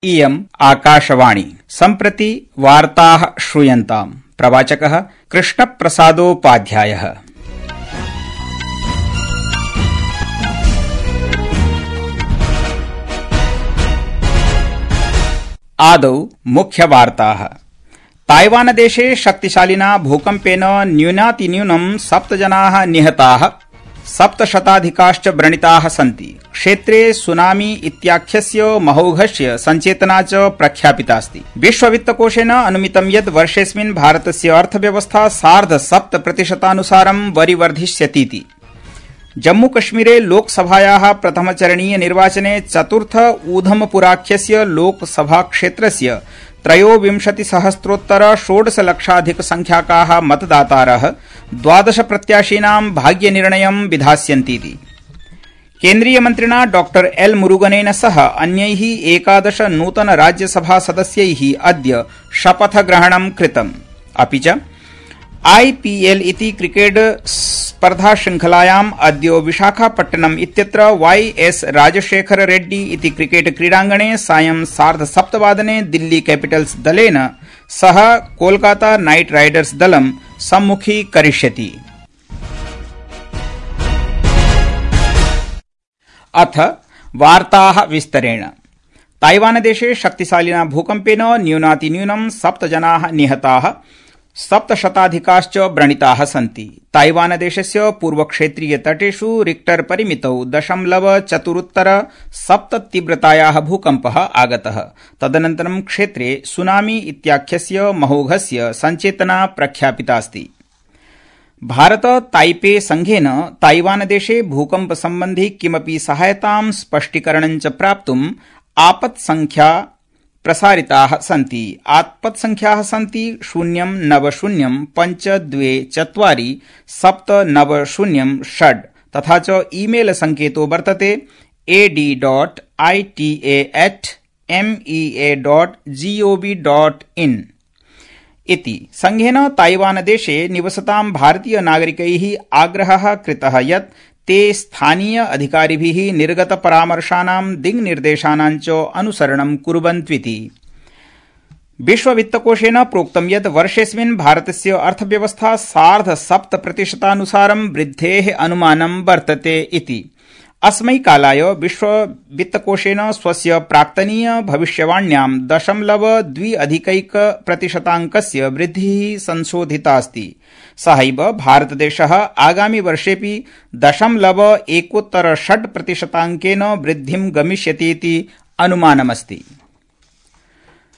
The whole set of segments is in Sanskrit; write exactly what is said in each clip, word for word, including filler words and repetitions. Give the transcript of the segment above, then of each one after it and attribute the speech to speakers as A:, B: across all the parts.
A: इयम् आकाशवाणी। सम्प्रति वार्ताः श्रूयन्ताम्। प्रवाचकः कृष्णप्रसादोपाध्यायः। आदौ मुख्यवार्ताः। ताइवानदेशे शक्तिशालिना भूकम्पेन न्यूनातिन्यूनं सप्त जनाः निहताः, सप्तशताधिकाश्च व्रणिताः सन्ति। क्षेत्रे सुनामी इत्याख्यस्य महौघस्य संचेतना च प्रख्यापितास्ति। विश्ववित्तकोषेन अनुमितं यत् वर्षेऽस्मिन् भारतस्य अर्थव्यवस्था सार्ध सप्त प्रतिशतानुसारं वरिवर्धिष्यतीति। जम्मूकश्मीरे लोकसभायाः प्रथमचरणीय निर्वाचने चतुर्थ ऊधमपुराख्यस्य लोकसभाक्षेत्रस्य त्रयोविंशतिसहस्रोत्तर षोडशलक्षाधिक संख्याकाः मतदातारः द्वादश प्रत्याशीनां भाग्यनिर्णयं विधास्यन्तीति। केन्द्रीयमन्त्रिणा डॉ एल मुरुगनेन सह अन्यैः एकादश नूतन राज्यसभा सदस्यैः अद्य शपथग्रहणं कृतम्। अपि च आईपीएल इति क्रिकेट स्पर्धाशृंखलायाम् अद्य विशाखापट्टनम इत्यत्र वाई एस राजशेखर रेड्डी इति क्रिकेट क्रीडाङ्गणे सायं सार्धसप्तवादने दिल्ली कैपिटल्स दलेन सह कोलकाता नाइट राइडर्स दलं सम्मुखीकरिष्यति। अथ वार्ताः विस्तरेण। ताइवानदेशे शक्तिशालिना भूकम्पेन न्यूनातिन्यूनं सप्त जनाः निहताः, सप्तशताधिकाश्च व्रणिताः सन्ति। ताइवानदेशस्य पूर्वक्षेत्रीय तटेषु रिक्टर परिमितौ दशमलव चतुरुत्तर सप्त तीव्रतायाः भूकम्पः आगतः। तदनन्तरं क्षेत्रे सुनामी इत्याख्यस्य महौघस्य संचेतना प्रख्यापितास्ति। भारत ताइपे संघेन ताइवानदेशे भूकम्पसम्बन्धि किमपि सहायतां स्पष्टीकरणं च प्राप्तुम् आपत्संख्या प्रसारिताः सन्ति। आपत्संख्याः सन्ति शून्यं नव शून्यं पञ्च द्वे चत्वारि सप्त नव शून्यं षड्, तथा च ईमेल संकेतो वर्तते AD dot ITA at MEA dot GOV dot in इति। संघेन ताइवानदेशे निवसतां भारतीय नागरिकैः आग्रहः कृतः यत् ते स्थानीय अधिकारिभिः निर्गत परामर्शानां दिङ्निर्देशानां च अनुसरणं कुर्वन्त्विति। विश्ववित्तकोषेन प्रोक्तं यत् वर्षेऽस्मिन् भारतस्य अर्थव्यवस्था सार्ध सप्त प्रतिशतानुसारं वृद्धेः अनुमानं वर्तते इति। अस्मै कालाय विश्ववित्तकोषेन स्वस्य प्राक्तनीय भविष्यवाण्यां दशमलव द्वि अधिकैक प्रतिशताङ्कस्य वृद्धिः संशोधितास्ति। सहैव भारतदेशः आगामि वर्षेऽपि दशमलव एकोत्तर षड् प्रतिशताङ्केन वृद्धिं गमिष्यतीति अनुमानमस्ति।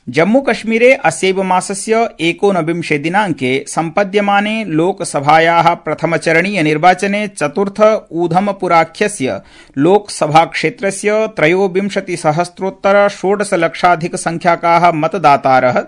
A: जम्मूकश्मीरे अस्यैव मासस्य एकोनविंशे दिनाङ्के सम्पद्यमाने लोकसभायाः प्रथमचरणीय निर्वाचने चतुर्थ ऊधमपुराख्यस्य लोकसभाक्षेत्रस्य त्रयोविंशतिसहस्रोत्तर षोडशलक्षाधिक संख्याकाः मतदातारः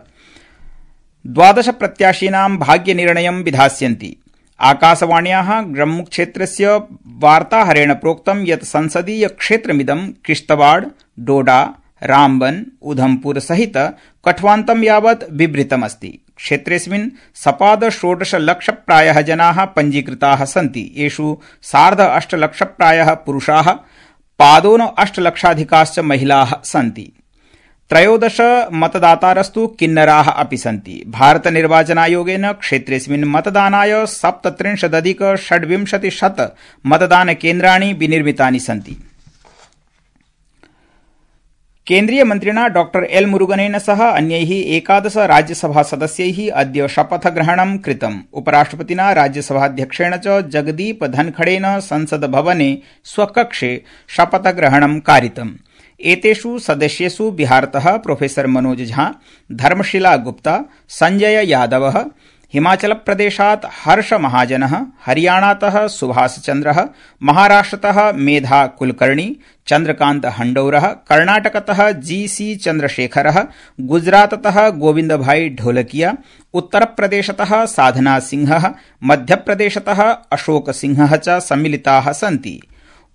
A: द्वादश प्रत्याशीनां भाग्यनिर्णयं विधास्यन्ति। आकाशवाण्याः जम्मूक्षेत्रस्य वार्ताहरेण प्रोक्तं यत् संसदीय क्षेत्रमिदं किश्तवाड़, डोडा, रामबन, उधमपुर सहित कठ्वान्तं यावत् विवृतमस्ति। क्षेत्रेऽस्मिन् सपाद षोडश लक्ष प्रायः जनाः पञ्जीकृताः सन्ति। येषु सार्ध अष्ट लक्ष प्रायः पुरुषाः, पादोन अष्ट लक्षाधिकाश्च महिलाः सन्ति। त्रयोदश मतदातारस्तु किन्नराः अपि सन्ति। भारत निर्वाचनायोगेन क्षेत्रेऽस्मिन् मतदानाय सप्तत्रिंशदधिक षड्विंशतिशत मतदानकेन्द्राणि विनिर्मितानि सन्ति। केन्द्रीयमन्त्रिणा डॉ एल मुरुगनेन सह अन्यैः एकादश राज्यसभा सदस्यैः अद्य शपथग्रहणं कृतम्। उपराष्ट्रपतिना राज्यसभाध्यक्षेण च जगदीप धनखड़ेन संसद्भवने स्वकक्षे शपथग्रहणं कारितम्। एतेषु सदस्येषु बिहारतः प्रोफेसर मनोज झा, धर्मशिला गुप्ता, संजय यादवः, हिमाचलप्रदेशात् हर्ष महाजनः, हरियाणातः सुभाष चन्द्रः, महाराष्ट्रतः मेधा कुलकर्णी, चन्द्रकान्त हंडौरः, कर्णाटकतः जी सी चन्द्रशेखरः, गुजराततः गोविंदभाई ढोलकिया, उत्तरप्रदेशतः साधना सिंहः, मध्यप्रदेशतः अशोक सिंहः च सम्मिलिताः सन्ति।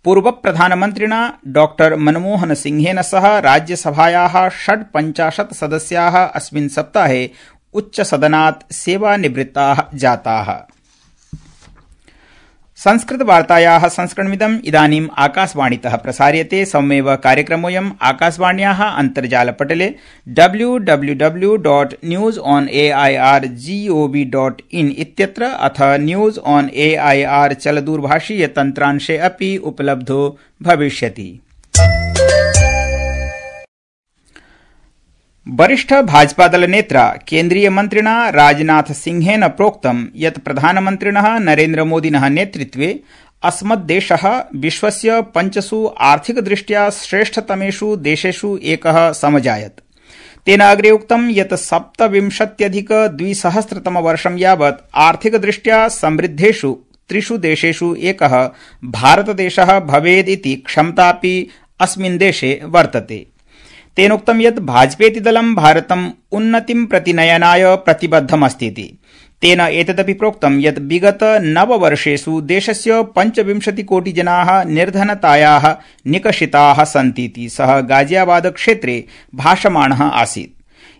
A: पूर्वप्रधानमन्त्रिणा डॉ मनमोहन सिंहेन सह राज्यसभायाः षड्पञ्चाशत् सदस्याः अस्मिन् सप्ताहे उच्चसदनात् सेवानिवृत्ताः जाताः। संस्कृतवार्तायाः संस्करणमिदम् इदानीम् आकाशवाणीतः प्रसार्यते। सममेव कार्यक्रमोऽयम् आकाशवाण्याः अन्तर्जालपटले W W W dot news on A I R GOV dot in इत्यत्र अथ news on A I R चलदूरभाषीय तन्त्रांशे अपि उपलब्धो भविष्यति। वरिष्ठ भाजपादल नेत्रा केन्द्रीय मन्त्रिणा राजनाथ सिंहेन प्रोक्तं यत् प्रधानमन्त्रिणः नरेन्द्र मोदिनः नेतृत्वे अस्मद्देशः विश्वस्य पञ्चसु आर्थिकदृष्ट्या श्रेष्ठतमेषु देशेषु एकः समजायत। तेन अग्रे उक्तं यत् सप्तविंशत्यधिक द्विसहस्रतमवर्षं यावत् आर्थिकदृष्ट्या समृद्धेषु त्रिषु देशेषु एकः भारतदेशः भवेदिति क्षमतापि अस्मिन् देशे वर्तते। तेनोक्तं यत् भाजपेति दलं भारतम् उन्नतिं प्रति नयनाय प्रतिबद्धमस्तीति। तेन एतदपि प्रोक्तं यत् विगत नववर्षेषु देशस्य पञ्चविंशतिकोटिजनाः निर्धनतायाः निकषिताः सन्तीति सः गाजियाबाद क्षेत्रे भाषमाणः आसीत्।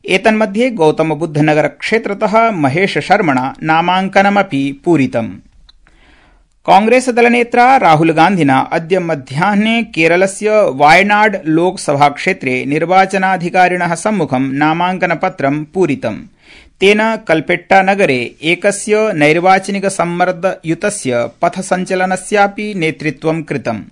A: एतन्मध्ये गौतमबुद्धनगर क्षेत्रतः महेश शर्मणा नामाङ्कनमपि पूरितम्। कांग्रेस दलनेत्रा राहुल गान्धिना अद्य मध्याह्ने केरलस्य वायनाड लोकसभाक्षेत्रे निर्वाचनाधिकारिणः सम्मुखं नामाङ्कनपत्रं पूरितम्। तेन कल्पेट्टानगरे एकस्य नैर्वाचनिक सम्मर्दयुतस्य पथसञ्चलनस्यापि नेतृत्वं कृतम्,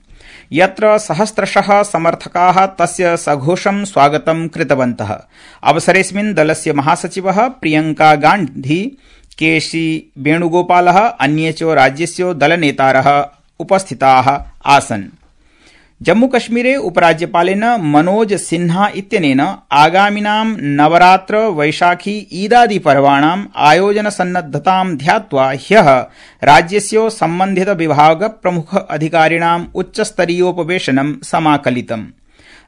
A: यत्र सहस्रशः समर्थकाः तस्य सघोषं स्वागतं कृतवन्तः। अवसरेऽस्मिन् दलस्य महासचिवः प्रियंका गान्धी, केसी वेणुगोपालः, अन्ये च राज्यस्य दलनेतारः उपस्थिताः आसन्। जम्मूकश्मीरे उपराज्यपालेन मनोज सिन्हा इत्यनेन आगामिनां नवरात्र वैशाखी ईदादि पर्वाणाम् आयोजनसन्नद्धतां ध्यात्वा ह्यः राज्यस्य सम्बन्धित विभाग प्रमुख अधिकारिणाम् उच्चस्तरीयोपवेशनं समाकलितम्।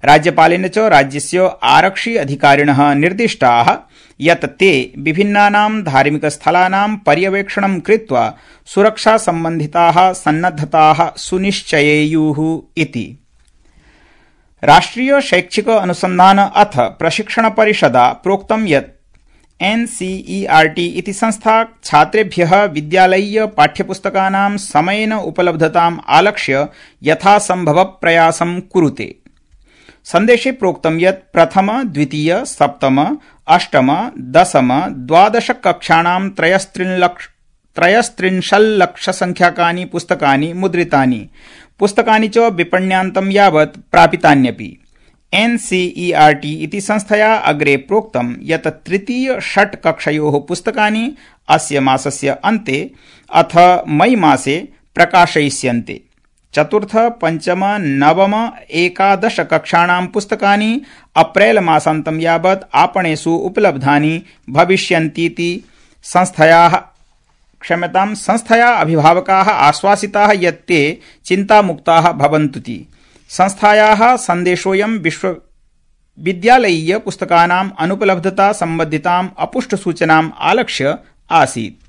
A: राज्यपालेन च राज्यस्य आरक्षि अधिकारिणः निर्दिष्टाः यत् ते विभिन्नानां धार्मिकस्थलानां पर्यवेक्षणं कृत्वा सुरक्षासम्बन्धिताः सन्नद्धताः सुनिश्चयेयुः इति। राष्ट्रिय शैक्षिक अनुसन्धान अथ प्रशिक्षण परिषदा प्रोक्तं यत् एनसीईआरटी इति संस्था छात्रेभ्यः विद्यालयीय पाठ्यपुस्तकानां समयेन उपलब्धताम् आलक्ष्य यथासम्भव प्रयासं कुरुते। सन्देशे प्रोक्तं यत् प्रथम, द्वितीय, सप्तम, अष्टम, दशम, द्वादश कक्षाणां त्रयस्त्रिंशल्लक्षसंख्याकानि पुस्तकानि मुद्रितानि, पुस्तकानि च विपण्यान्तं यावत् प्रापितान्यपि। एनसीईआरटी इति संस्थया अग्रे प्रोक्तं यत् तृतीय षट् कक्षयोः पुस्तकानि अस्य मासस्य अन्ते अथ मई मासे प्रकाशयिष्यन्ते। चतुर्थ, पञ्चम, नवम, एकादश कक्षाणां पुस्तकानि अप्रैल मासान्तं यावत् आपणेषु उपलब्धानि भविष्यन्तीति संस्थयाः क्षम्यतां संस्थया अभिभावकाः आश्वासिताः यत् ते चिन्तामुक्ताः भवन्तुति। संस्थायाः सन्देशोऽयं विश्वविद्यालयीय पुस्तकानाम् अनुपलब्धता सम्बद्धिताम् अपुष्टसूचनाम् आलक्ष्य आसीत्।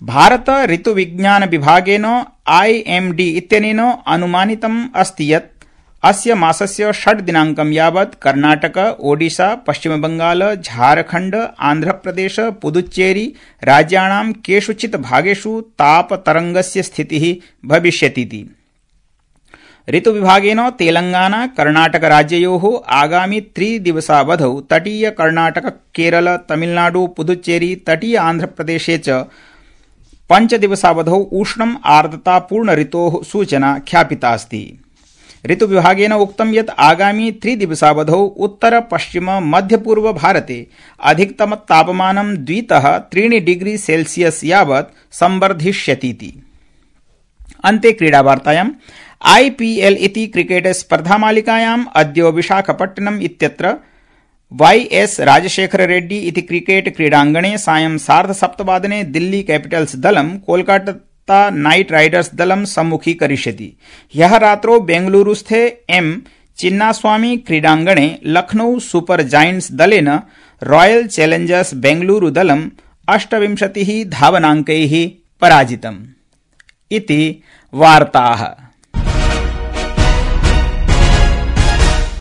A: भारत ऋतुविज्ञान विभागेन आईएमडी इत्यनेन अनुमानितम् अस्ति यत् अस्य मासस्य षड् दिनाङ्कं यावत् कर्णाटक, ओडिशा, पश्चिमबंगाल, झारखण्ड, आन्ध्रप्रदेश, पुदुच्चेरी राज्याणां केषुचित् भागेषु तापतरङ्गस्य स्थितिः भविष्यतीति। ऋतुविभागेन तेलंगाना, कर्णाटक राज्ययोः आगामि त्रिदिवसावधौ तटीय कर्णाटक, केरल, तमिलनाडु, पुदुच्चेरी, तटीय आन्ध्रप्रदेशे च पञ्चदिवसावधौ उष्णम् आर्द्रतापूर्ण ऋतोः सूचना ख्यापितास्ति। ऋतुविभागेन उक्तं यत् आगामि त्रिदिवसावधौ उत्तर पश्चिम मध्यपूर्व भारते अधिकतम तापमानं द्वितः त्रीणि डिग्री सेल्सियस् यावत् संवर्धिष्यतीति। अन्ते क्रीडावार्तायाम् आईपीएल इति क्रिकेट स्पर्धामालिकायाम् अद्य विशाखपट्टनम् इत्यत्र वाई एस राजशेखर रेड्डी इति क्रिकेट क्रीडाङ्गणे सायं सार्धसप्तवादने दिल्ली कैपिटल्स दलं कोलकाता नाइट राइडर्स दलं सम्मुखीकरिष्यति। ह्यः रात्रौ बेंगलुरुस्थे एम चिन्नास्वामी क्रीडाङ्गणे लखनऊ सुपर जायंट्स दलेन रॉयल चैलेंजर्स बेंगलुरु दलं अष्टविंशतिः धावनाङ्कैः पराजितम्। इति वार्ताः।